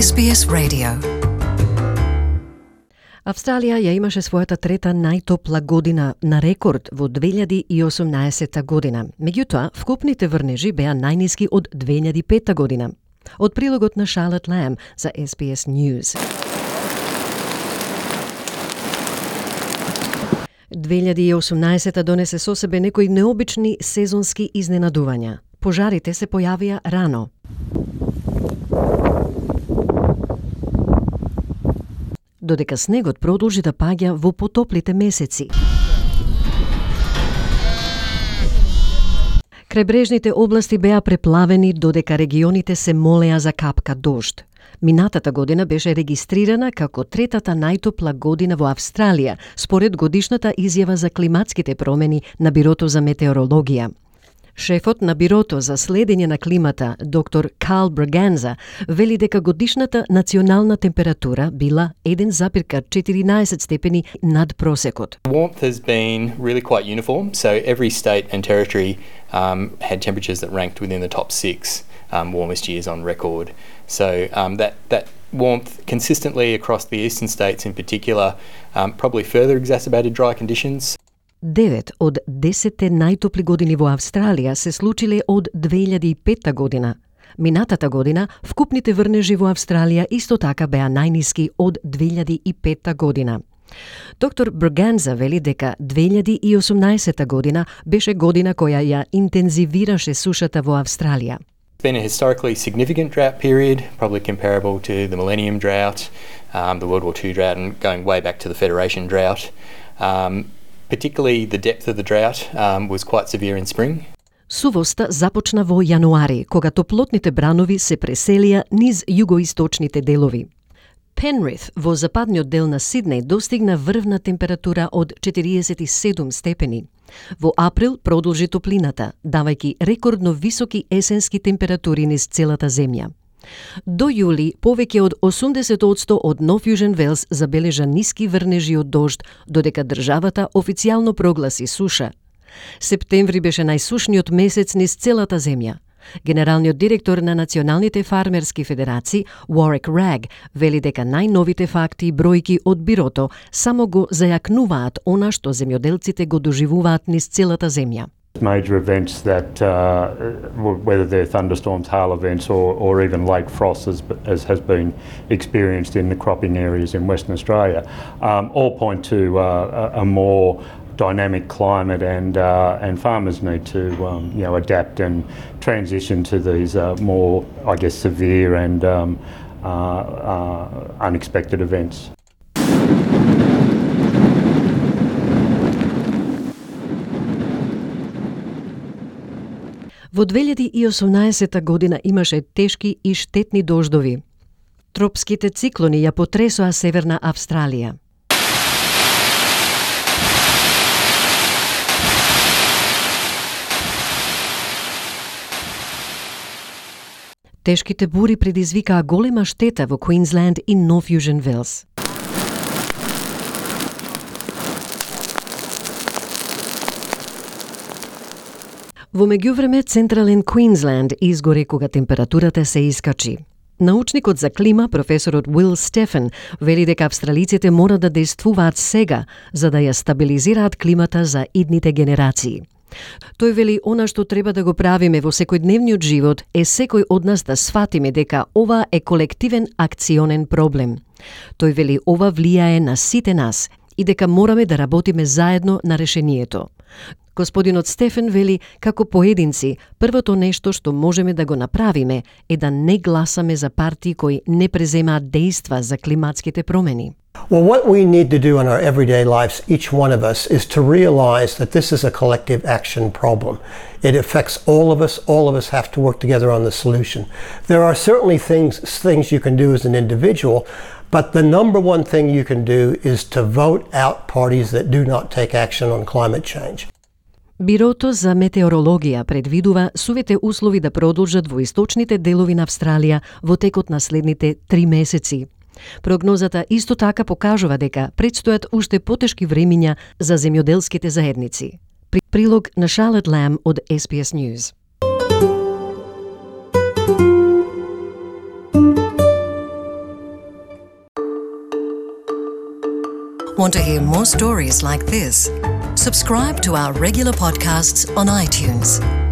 SBS Radio. Австралија ја имаше својата трета најтопла година на рекорд во 2018 година. Меѓутоа, вкупните врнежи беа најниски од 2005 година. Од прилогот на Charlotte Lamb за SBS News. 2018 донесе со себе некои необични сезонски изненадувања. Пожарите се појавија рано. Додека снегот продолжи да паѓа во потоплите месеци. Крајбрежните области беа преплавени додека регионите се молеа за капка дожд. Минатата година беше регистрирана како третата најтопла година во Австралија, според годишната изјава за климатските промени на Бирото за метеорологија. Шефот на Бирото за следење на климата, доктор Carl Braganza, вели дека годишната национална температура била 1,14 степени над просекот. Warmth has been really quite uniform, so every state and territory had temperatures that ranked within the top 6 warmest years on record. So that warmth consistently across the eastern states in particular probably further exacerbated dry conditions. 9 од 10 најтопли години во Австралија се случиле од 2005 година. Минатата година, вкупните врнежи во Австралија исто така беа најниски од 2005 година. Доктор Braganza вели дека 2018 година беше година која ја интензивираше сушата во Австралија. It's been a historically significant drought period, probably comparable to the Millennium Drought, the World War II drought, and going way back to the Federation Drought. Particularly the depth of the drought was quite severe in spring. Сувоста започна во јануари, кога топлотните бранови се преселија низ југоисточните делови. Penrith во западниот дел на Сиднеј достигна врвна температура од 47 степени. Во април продолжи топлината, давајќи рекордно високи есенски температури низ целата земја. До јули, повеќе од 80% од Нов Јужен Велс забележа ниски врнежи од дожд, додека државата официјално прогласи суша. Септември беше најсушниот месец низ целата земја. Генералниот директор на Националните фармерски федерации, Warwick Ragg, вели дека најновите факти и бројки од Бирото само го зајакнуваат она што земјоделците го доживуваат низ целата земја. Major events that, whether they're thunderstorms, hail events, or even late frost, as has been experienced in the cropping areas in Western Australia, all point to a more dynamic climate, and farmers need to adapt and transition to these more, I guess, severe and unexpected events. Во 2018 година имаше тешки и штетни дождови. Тропските циклони ја потресоа Северна Австралија. Тешките бури предизвикаа голема штета во Квинсленд и Нов Јужен Велс. Во меѓувреме, Централен Квинсленд изгори кога температурата се искачи. Научникот за клима, професорот Will Steffen, вели дека австралиците мора да действуваат сега за да ја стабилизираат климата за идните генерации. Тој вели она што треба да го правиме во секојдневниот живот е секој од нас да сфатиме дека ова е колективен акционен проблем. Тој вели ова влијае на сите нас и дека мораме да работиме заедно на решението. Господинот Стефен вели како поединци, првото нешто што можеме да го направиме е да не гласаме за партии кои не преземаат дејства за климатските промени. Well, what we need to do in our everyday lives, each one of us, is to realize that this is a collective action problem. It affects all of us. All of us have to work together on the solution. There are certainly things you can do as an individual, but the number one thing you can do is to vote out parties that do not take action on climate change. Бирото за метеорологија предвидува сувите услови да продолжат во источните делови на Австралија во текот на следните 3 месеци. Прогнозата исто така покажува дека предстојат уште потешки времиња за земјоделските заедници. Прилог на Charlotte Lamb од SBS News. Want to hear more stories like this? Subscribe to our regular podcasts on iTunes.